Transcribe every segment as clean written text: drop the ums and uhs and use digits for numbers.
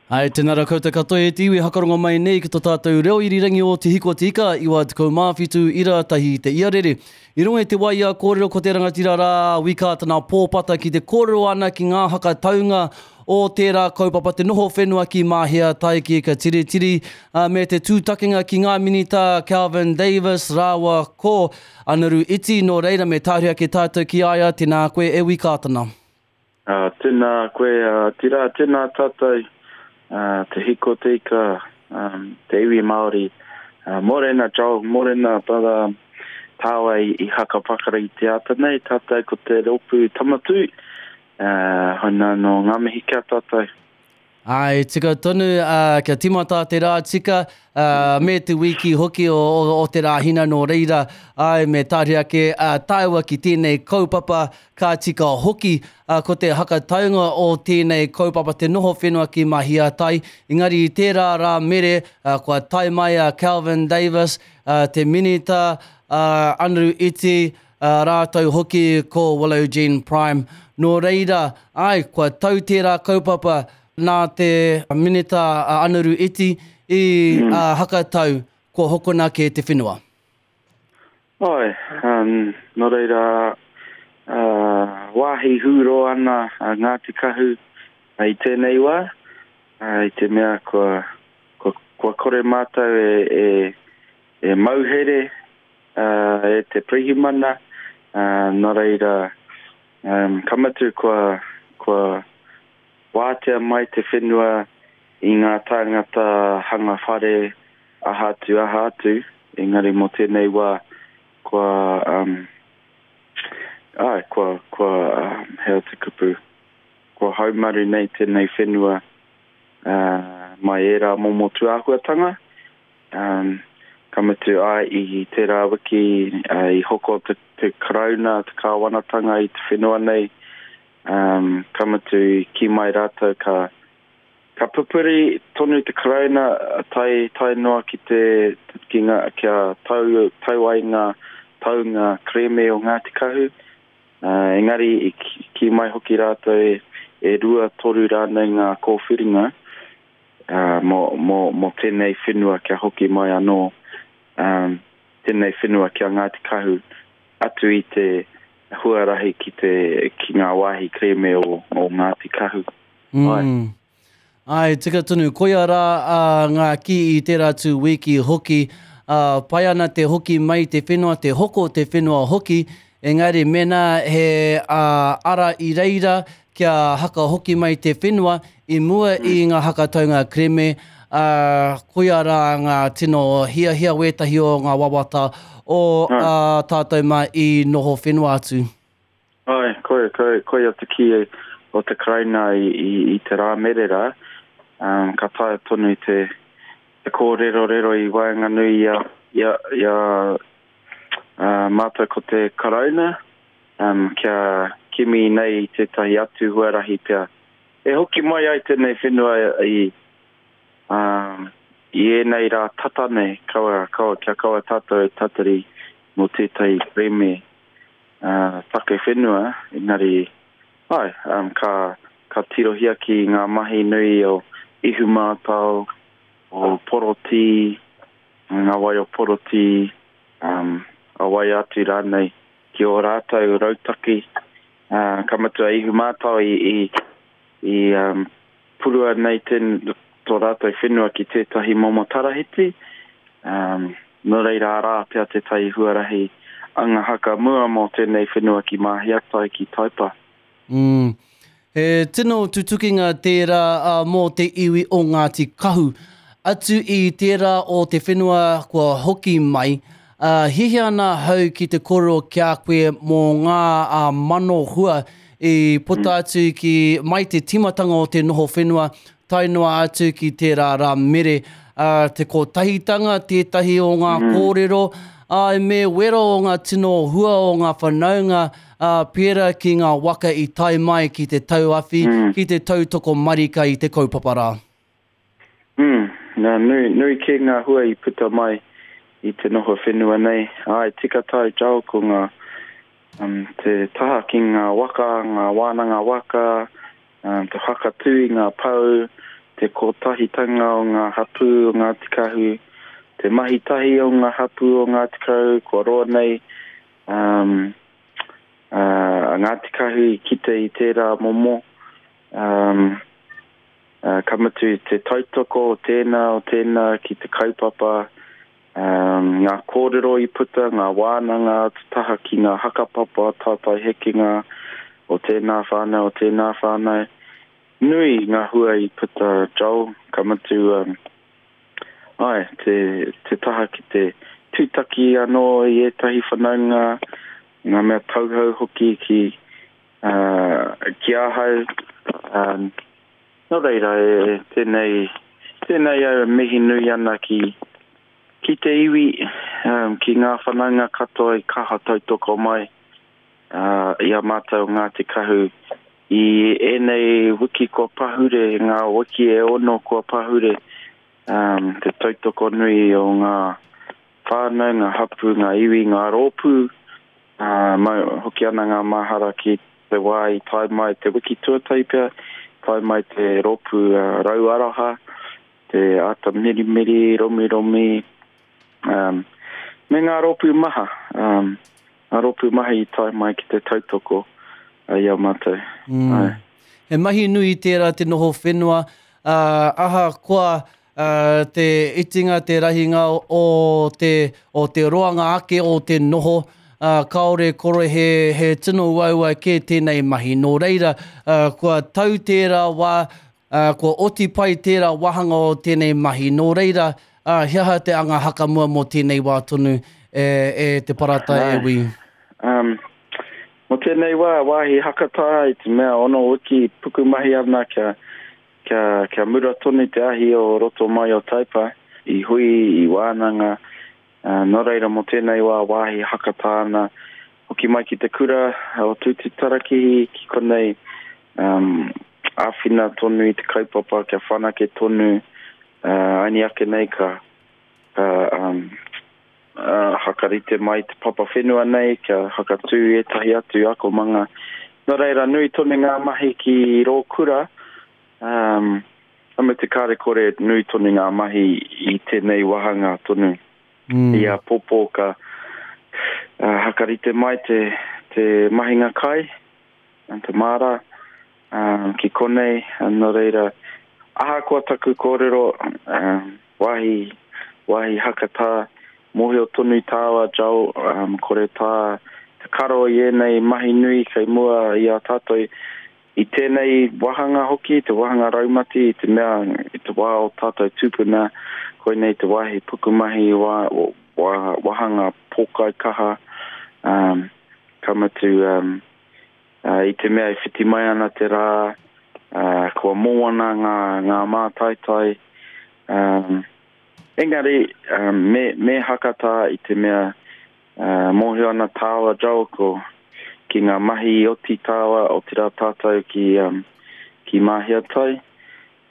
Hai, tēnā rā koutou katoa e te iwi hakarongo mai nei ki to tātou reo irirangi o Te Hiko Te Ika, 97 ira tahi te iarere. I runga i te wai ia kōrero ko te rangatira rā a Wi Kātana Pōpata ki te kōrero ana ki ngā hakataunga o tērā kaupapa te noho whenua ki Mahea tae ki Ika Tiritiri me te tūtakinga ki ngā minita Kelvin Davis rāua ko Anaru Iti nō reira me tāhuri ake tātou ki a ia, tēnā koe e Wi Kātana. Ā, tēnā koe, otirā, tēnā tātou, ā, te hiko te ika, ā, te iwi Māori. Ā, mōrena Joel, mōrena brother tāua i, i haka pakari i te ata nei, tātou ko te rōpū Tamatū, ā, hoi nā nō ngā mihi ki a tātou. Āe, tika tonu, ā, kia tīmata te rā tika, ā, me te wiki hoki o, o, o te Rāhina nō reira, āe, me tāria ake ā, tāua ki tēnei kaupapa, ka tika hoki, ā, ko te hakataunga o tēnei kaupapa te noho whenua ki Mahiatai, engari i tērā rā mere, ā, kua tae mai a Kelvin Davis, ā, te Minita, ā, Anaru Iti, ā, rātou hoki ko Willow Jean Prime. Nō reira, āe, kua tau tērā kaupapa nā te Minita a Anaru Iti i hakatau kua hokona kē te whenua. Āe, nō reira, wāhi hūrō ana a Ngāti Kahu i tēnei wā, i te mea kua, kua, kua kore mātou e, e, e mauhere e te pirihimana, nō reira, ka mutu kua, kua wātea mai te whenua i ngā tāngata hanga whare, aha atu, aha atu, engari mō tēnei wā, kua, āe, kua, kua, he aha te kupu, kua haumaru nei tēnei whenua mai ērā momo tūāhuatanga. Um, ka mutu ai i tērā wiki uh, i hoko te, te Karauna, te kāwanatanga i te whenua nei, um, ka mutu i kī mai rātou ka, ka pupuri tonu te Karauna tae, tae noa ki te, ki ngā, kia tau, tau ai ngā taunga kerēme o Ngāti Kahu. Uh, engari i kī mai hoki rātou e, e rua, toru rānei ngā kōwhiringa, ā, mō, mō, mō tēnei whenua kia hoki mai anō, ā, tēnei whenua ki a Ngāti Kahu, atu i te huarahi ki te, ki ngā wāhi kerēme o, o Ngāti Kahu. Āe. Mm. Āe, tika tonu. Koia rā ā, ngā kī i tērā tū wiki hoki, ā, pai ana te hoki mai te whenua, te hoko te whenua hoki, engari mēnā he ā, ara i reira kia haka hoki mai te whenua, I mua i ngā hakataunga kereme, ā, koia rā ngā tino hiahia wētahi o ngā wawata o ā tātou mā i noho whenua atu. Āe, koia, koia, koia te kī o te Karauna i, i, i te rā mere rā, um, ka taea tonu te, te kōrerorero i waenganui i a, i a, i a uh, mātou ko te Karauna, um, kia kimi nei i tētahi atu huarahi pea E hoki mai ai tēnei whenua i, um, i ēnei rā tata nei, kaua, kaua, kia kaua tātou e tatari mō tētahi kerēme uh, take whenua, engari, ai, um, ka, ka tirohia ki ngā mahi nui o Ihumātao, o Porotī, ngā wai o Porotī, um, a wai atu rānei, ki ō rātou rautaki, ā, ka mutu a Ihumātao i, i, i um, purua nei ten, tō rātou whenua ki tētahi momo tarahiti, um, nō reira arā pea tētahi huarahi anga haka mua mō tēnei whenua ki Māhiatai, ki Taipa. Mm. He tino tutukinga tērā mō te iwi o Ngāti Kahu. Atu i tērā o te whenua kua hoki mai, hiahia ana ahau ki te kōrero ki a koe mō ngā mano hua i puta atu ki mai te tīmatanga o te noho whenua tae noa atu ki tērā rā mere. Te kotahitanga tētahi o ngā kōrero, āe me wero o ngā tino hua o ngā whanaunga, ā, pērā ki ngā waka i tae mai ki te tauawhi, ki te tautoko marika i te kaupapa rā. Mm, nā, nui, nui kē ngā hua i puta mai i te noho whenua nei. Āe, tika tāu Joel, ko ngā, um, te taha ki ngā waka, ngā wānanga waka, um, te whakatū i ngā pou, te kotahitanga o ngā hapū o Ngāti Kahu, te mahi tahi o ngā hapū o Ngāti Kahu, kua roa nei um, a Ngāti Kahu i kite i tērā momo, um, ka mutu te tautoko o tēnā, o tēnā ki te kaupapa, um, ngā kōrero i puta, ngā wānanga, te taha ki ngā hakapapa, tātai hekenga o tēnā whānau, o tēnā whānau. Nui ngā hua i puta, Joel, ka mutu, um, ai, te, te taha ki te tūtaki anō i ētahi whanaunga, ngā mea tauhou hoki ki, uh, ki ahau. Um, nō reira, e, tēnei, tēnei au e mihi nui ana ki, ki te iwi, um, ki ngā whanaunga katoa i kaha tautoko mai uh, i a mātou o Ngāti Kahu i ēnei wiki kua pahure, ngā wiki e ono kua pahure, um, te tautoko nui o ngā whānau, ngā hapū, ngā iwi, ngā rōpū, uh, mau, hoki ana ngā mahara ki te wā i tae mai te wiki tuatahi pea, tae mai te rōpū uh, Rau Aroha, te āta mirimiri, romiromi, um, me ngā rōpū maha, um, ngā rōpū maha i tae mai ki te tautoko i a mātou. Mm. Ai. He mahi nui tērā te noho whenua, uh, ahakoa uh, te itinga, te rahinga o te, o te roanga ake o te noho, uh, kāore kore he, he tino uaua kē tēnei mahi. Nō reira, uh, kua tau tērā wā, Ā, kua oti pai tērā wāhanga o tēnei mahi. Nō reira, ā, he aha te anga hakamua mō tēnei wā tonu, e, e Te Parata e Wi? Um, mō tēnei wā, wāhi hakatā i te mea ono wiki pukumahi ana kia, kia, kia mura tonu te ahi o roto mai o Taipa, i hui, i wānanga, Ā, nō reira mō tēnei wā wāhi hakatā ana, hoki mai ki te kura o Tūtūtarakihi ki konei, um, āwhina tonu i te kaupapa kia whanake tonu, ā, aini ake nei ka, ka um, uh, hakarite mai te papa whenua nei kia hakatū ētahi atu akomanga. Nō reira, nui tonu ngā mahi ki rō kura, um, Ka mutu kāre kore nui tonu ngā mahi i tēnei wāhanga tonu. Mm. I āpōpō ka uh, hakarite mai te, te mahinga kai, te māra, um, ki konei, nō reira, ahakoa taku kōrero, um, wāhi, wāhi hakatā, mōhio tonu tāua, Joel, um, kore tā te karo i ēnei mahi nui kei mua i a tātou, I tēnei wāhanga hoki, te wāhanga raumati, i te mea i te wā o tātou tūpuna, koinei te wāhi pukumahi, wā, wā, wāhanga pōkaikaha, um, ka mutu um, uh, i te mea e whiti mai ana te rā, uh, kua mōana ngā, ngā mātaitai, um, engari um, me, me hakatā i te mea Ā, mōhio ana tāua, Joel, ko, ki ngā mahi i oti tāua, otirā tātou ki, um, ki Māhiatai.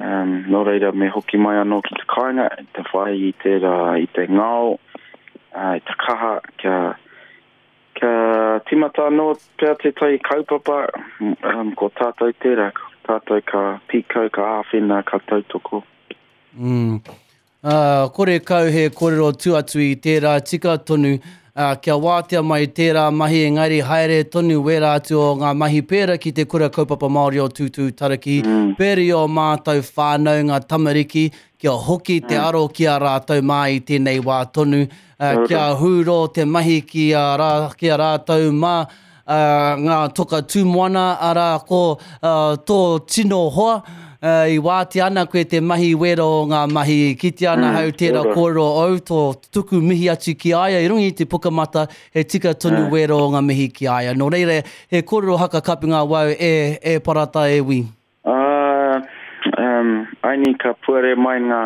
Um, nō reira, me hoki mai anō ki te kāinga, te whai i tērā, i te ngao, uh, i te kaha, kia, kia tīmata anō pea tētahi kaupapa, um, ko tātou tērā, ko tātou ka pīkau, ka āwhina, ka tautoko. Mm. Ā, kore kau he kōrero tū atu i tērā tika tonu, ā, kia wātea mai tērā mahi engari haere tonu wērā atu o ngā mahi pērā ki te Kura Kaupapa Māori o Tūtūtaraki, pērā i ō mātou whānau, ngā tamariki, kia hoki te aro ki a rātou mā i tēnei wā tonu, ā, kia hūrō te mahi ki a rā, ki a rātou mā, ā, ngā toka tū moana, arā, ko tō tino hoa, i wātea ana koe te mahi wera o ngā mahi, kitea ana hau tērā kōrero ou, tō tuku mihi atu ki a ia i runga i te pukamata, he tika tonu wera o ngā mihi ki a ia. Nō reira, he kōrero haka kapinga wau e, e Parata e Wi. Ā, um, aini ka puare mai ngā,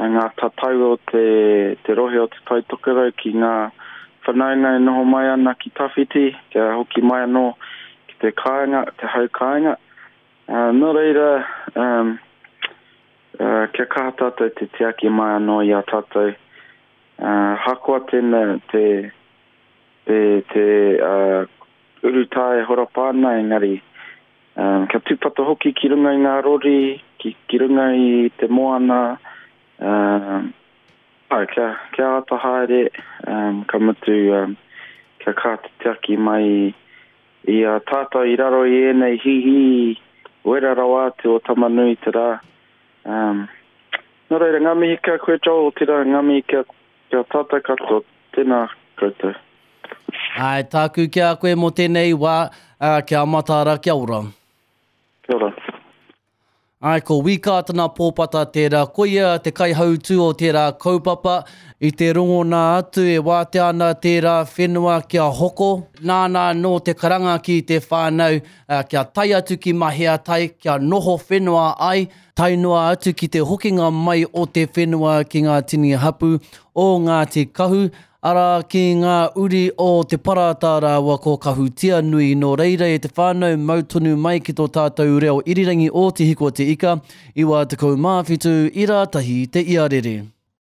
ngā tatau o te, te rohe o Te Tai Tokerau ki ngā whanaunga e noho mai ana ki tawhiti, kia hoki mai anō ki te kāinga, te hau kāinga. Ā, nō reira, um, uh, kia kaha tātou te tiaki mai anō i a tātou. Ā, hakoa tēnā, te, te, te, uh, urutā e horapa ana, engari, Um, kia tūpato hoki ki runga i ngā rori, ki, ki runga i te moana, um, āe, kia, kia āta haere, um, ka mutu, um, kia kaha te tiaki mai i, i a tātou i raro i ēnei hihī wera rawa atu o Tamanui te rā. Um, nō reira, ngā mihi ki a koe, Joel, otirā, ngā mihi ki a, ki a tātou katoa. Tēnā koutou. Āe, tāku ki a koe mō tēnei wā, ā, kia mataara, kia ora. Kia ora. Āe, ko Wī Kātana Pōpata tērā, koia te kaihautū o tērā kaupapa, i te rongona atu e wātea ana tērā whenua kia hoko, nāna anō te karanga ki te whānau kia tae atu ki Maheatai, kia noho whenua ai, tae noa atu ki te hokinga mai o te whenua ki ngā tini hapū o Ngāti Kahu, Arā, ki ngā uri o Te Parata rāua ko Kahutianui, nō reira e te whānau mau tonu mai ki tō tātou reo irirangi o Te Hiko Te Ika, 97 i rātahi te iarere.